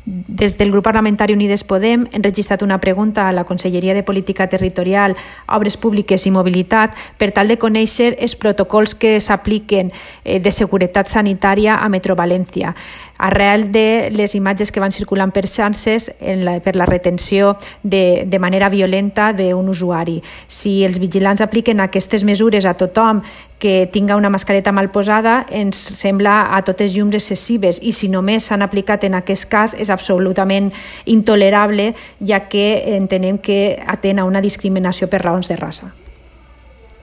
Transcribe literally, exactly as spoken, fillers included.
Des del grup parlamentari Unides Podem hem registrat una pregunta a la Conselleria de Política Territorial, Obres Públiques i Mobilitat per tal de conèixer els protocols que s'apliquen de seguretat sanitària a Metro València, arrel de les imatges que van circulant per xarxes per la retenció de, de manera violenta d'un usuari. Si els vigilants apliquen aquestes mesures a tothom que tinga una mascareta mal posada, ens sembla a totes llums excessives, i si només s'han aplicat en aquest cas és absolutament intolerable, ja que entenem que atén a una discriminació per raons de raça.